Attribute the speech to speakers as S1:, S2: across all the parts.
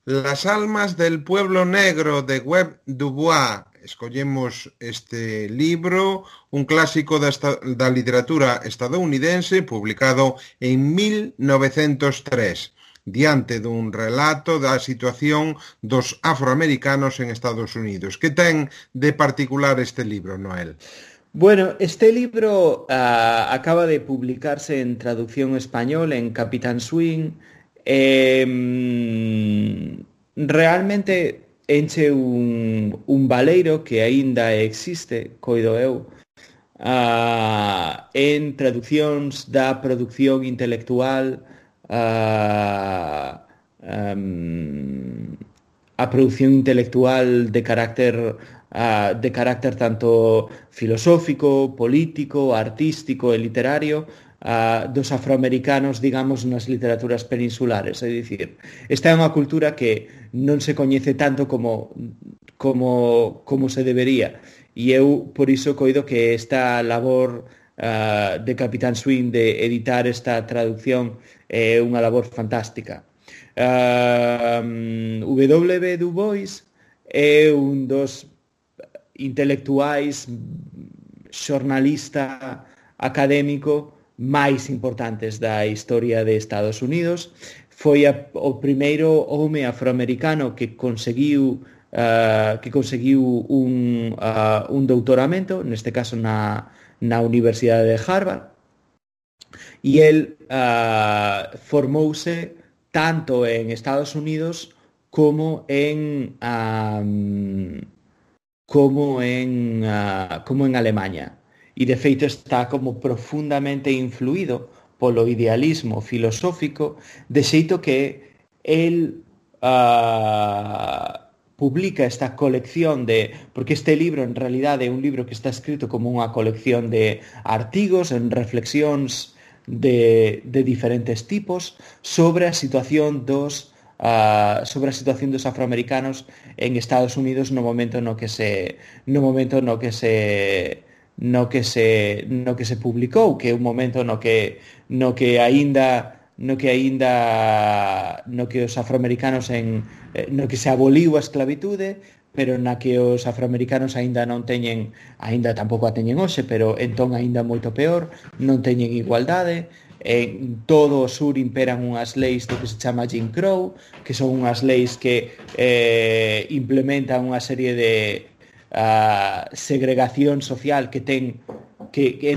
S1: Las almas del pueblo negro de Webb Dubois. Escollemos este libro, un clásico da literatura estadounidense, publicado en 1903, diante dun relato da situación dos afroamericanos en Estados Unidos. Que ten de particular este libro, Noel?
S2: Bueno, este libro acaba de publicarse en traducción español en Capitán Swing. Realmente enche un baleiro que aínda existe, coido eu, en traduccións da produción intelectual, ah, um, a produción intelectual de carácter tanto filosófico, político, artístico e literario, dos afroamericanos, digamos, nas literaturas peninsulares. É dicir, esta é unha cultura que non se coñece tanto como se debería. E eu, por iso, coido que esta labor de Capitán Swing de editar esta traducción é unha labor fantástica. W. Du Bois é un dos intelectuais, xornalista académico máis importantes da historia de Estados Unidos. Foi o primeiro home afroamericano que conseguiu un doutoramento, neste caso na Universidade de Harvard, e el formouse tanto en Estados Unidos como en Alemania. E de feito está como profundamente influído polo idealismo filosófico, de xeito que el publica esta colección porque este libro en realidade é un libro que está escrito como unha colección de artigos en reflexións de diferentes tipos sobre a situación dos afroamericanos en Estados Unidos no momento no que se publicou, que é un momento no que os afroamericanos no que se aboliu a esclavitude, pero na que os afroamericanos aínda tampouco a teñen hoxe, pero entón aínda moito peor, non teñen igualdade. En todo o sur imperan unhas leis do que se chama Jim Crow, que son unhas leis que implementan unha serie de segregación social que en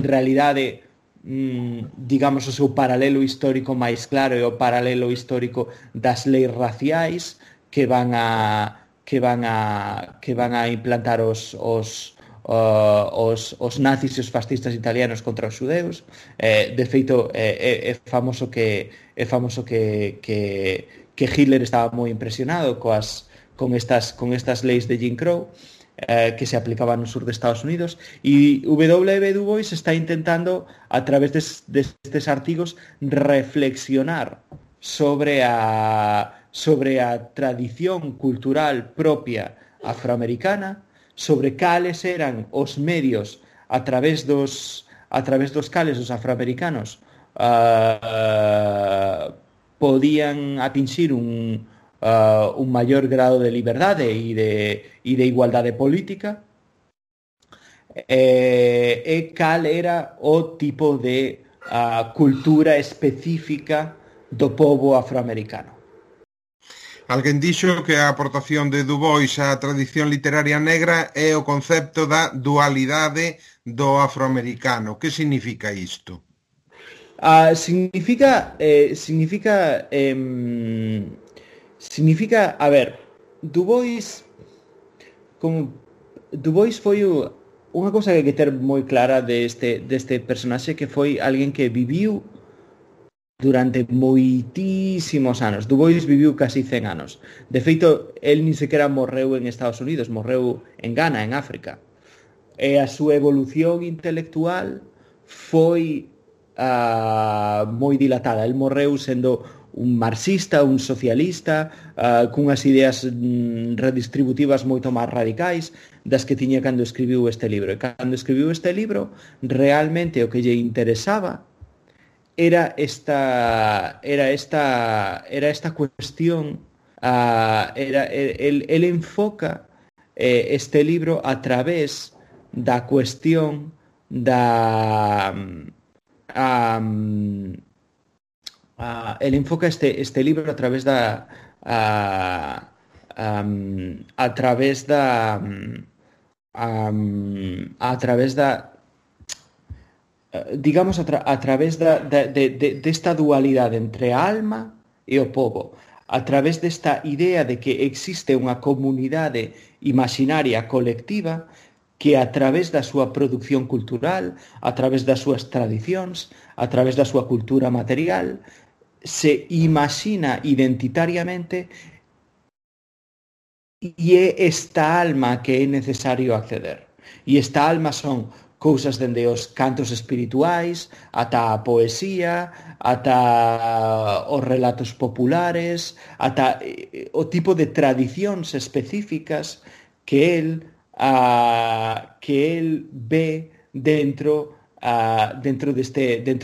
S2: realidade, digamos, o seu paralelo histórico máis claro é o paralelo histórico das leis raciais que van a implantar os nazis e os fascistas italianos contra os xudeus. De feito, é famoso que Hitler estaba moi impresionado con estas leis de Jim Crow que se aplicaban no sur de Estados Unidos, e W. Du Bois está intentando, a través destes artigos, reflexionar sobre a tradición cultural propia afroamericana, sobre cales eran os medios a través dos cales os afroamericanos podían atinxir un maior grado de liberdade e de igualdade política, e cal era o tipo de cultura específica do pobo afroamericano.
S1: Alguén dixo que a aportación de Du Bois á tradición literaria negra é o concepto da dualidade do afroamericano. Que significa isto?
S2: Significa, a ver, Du Bois foi unha cousa que hai que ter moi clara deste personaxe, que foi alguén que viviu durante moitísimos anos. Du Bois viviu casi 100 anos. De feito, el nin sequera morreu en Estados Unidos, morreu en Ghana, en África. E a súa evolución intelectual foi moi dilatada. El morreu sendo un marxista, un socialista, cunhas ideas redistributivas moito máis radicais das que tiña cando escribiu este libro. E cando escribiu este libro, realmente o que lle interesaba era esta cuestión Él enfoca este libro a través da cuestión da él enfoca este libro a través a través a través digamos a través desta dualidade entre a alma e o pobo, a través desta idea de que existe unha comunidade imaginaria colectiva que a través da súa produción cultural, a través das súas tradicións, a través da súa cultura material, se imagina identitariamente e é esta alma que é necesario acceder. E esta alma son cousas dende os cantos espirituais, ata a poesía, ata os relatos populares, ata o tipo de tradicións específicas que él ve dentro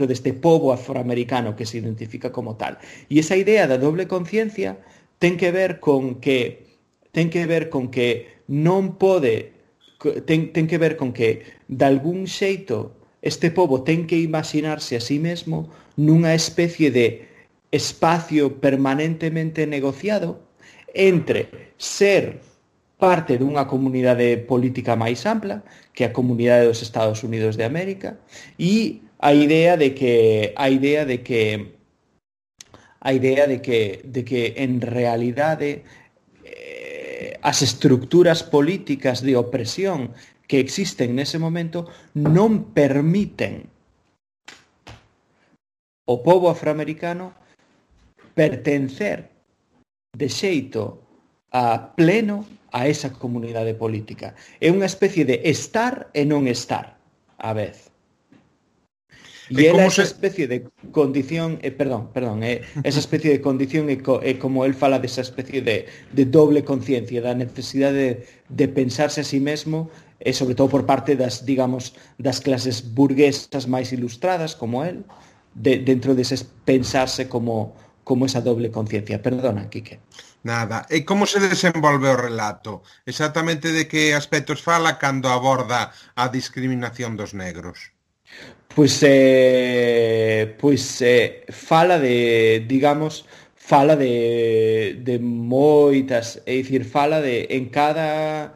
S2: deste pobo afroamericano que se identifica como tal. E esa idea da doble conciencia ten que ver con que non pode ten que ver con que de algún xeito este pobo ten que imaginarse a sí mesmo nunha especie de espacio permanentemente negociado entre ser parte dunha comunidade política máis ampla, que é a comunidade dos Estados Unidos de América, e a idea de que en realidade as estructuras políticas de opresión que existen nese momento non permiten ao pobo afroamericano pertencer de xeito pleno a esa comunidade política. É unha especie de estar e non estar á vez. E ela esa especie de condición, esa especie de condición é como él fala desa especie de doble conciencia, da necesidade de pensarse a sí mesmo, e sobre todo por parte das clases burguesas máis ilustradas como él, dentro dese pensarse como esa doble conciencia. Perdona, Quique.
S1: Nada. E como se desenvolve o relato? Exactamente de que aspectos fala cando aborda a discriminación dos negros?
S2: Pois fala de moitas, é dicir, fala de en cada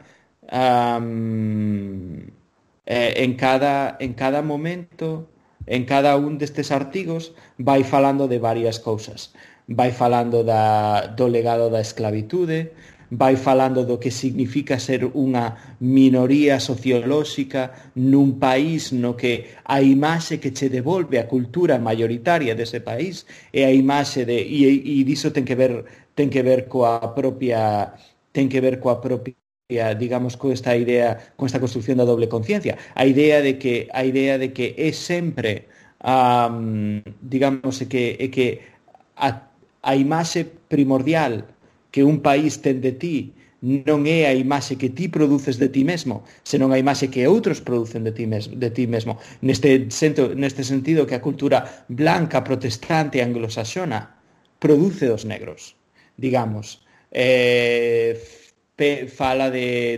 S2: momento, en cada un destes artigos vai falando de varias cousas. Vai falando do legado da esclavitude, vai falando do que significa ser unha minoría sociolóxica nun país no que a imaxe que che devolve a cultura mayoritaria dese país é a imaxe e diso ten que ver coa propia digamos con esta idea, con esta construción da doble conciencia, a idea de que é sempre digamos que a imaxe primordial que un país ten de ti non é a imaxe que ti produces de ti mesmo, senón a imaxe que outros producen de ti mesmo. Neste sentido que a cultura blanca, protestante, anglosaxona produce dos negros, digamos. Fala da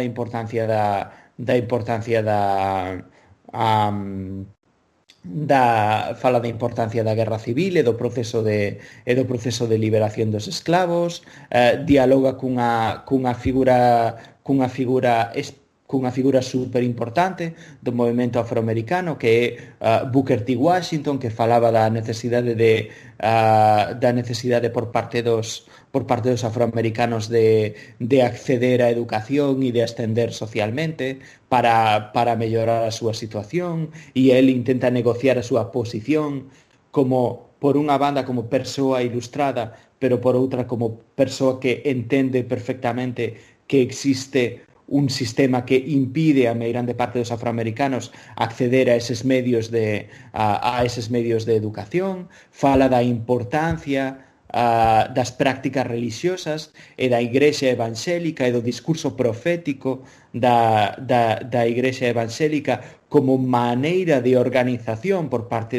S2: importancia fala da importancia da guerra civil e do proceso de liberación dos esclavos, dialoga cunha figura super importante do movemento afroamericano que é Booker T. Washington, que falaba da necesidade por parte dos afroamericanos de acceder á educación e de ascender socialmente para mellorar a súa situación, e el intenta negociar a súa posición como, por unha banda, como persoa ilustrada, pero por outra como persoa que entende perfectamente que existe un sistema que impide a meirande parte dos afroamericanos acceder a eses medios de educación. Fala da importancia das prácticas religiosas e da Igrexa evangélica e do discurso profético da Igrexa evangélica como maneira de organización por parte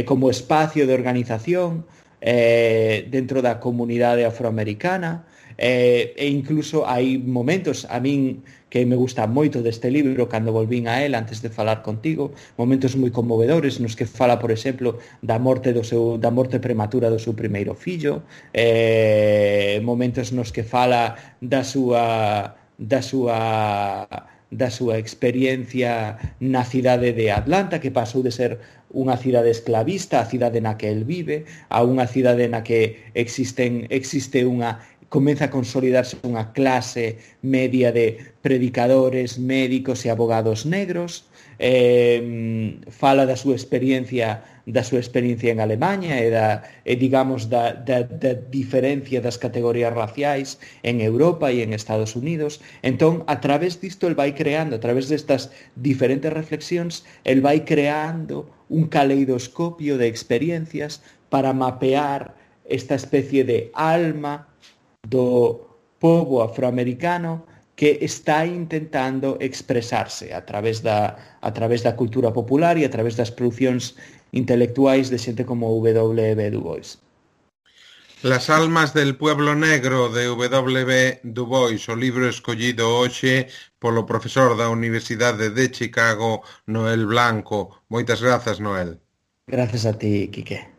S2: como espacio de organización dentro da comunidade afroamericana, e incluso hai momentos a min que me gusta moito deste libro cando volvín a él antes de falar contigo, momentos moi conmovedores nos que fala, por exemplo, da morte prematura do seu primeiro fillo, momentos nos que fala da súa experiencia na cidade de Atlanta, que pasou de ser unha cidade esclavista, a cidade na que el vive, a unha cidade na que comeza a consolidarse unha clase media de predicadores, médicos e abogados negros. Fala da súa experiencia en Alemanha e digamos da diferencia das categorías raciais en Europa e en Estados Unidos. Entón, a través disto, el vai creando, a través destas diferentes reflexións, el vai creando un caleidoscopio de experiencias para mapear esta especie de alma do pobo afroamericano que está intentando expresarse a través da cultura popular e a través das producións intelectuais de xente como W.B. Du Bois.
S1: Las almas del pueblo negro de W.B. Du Bois, o libro escollido hoxe polo profesor da Universidade de Chicago, Noel Blanco. Moitas grazas, Noel.
S2: Grazas a ti, Quique.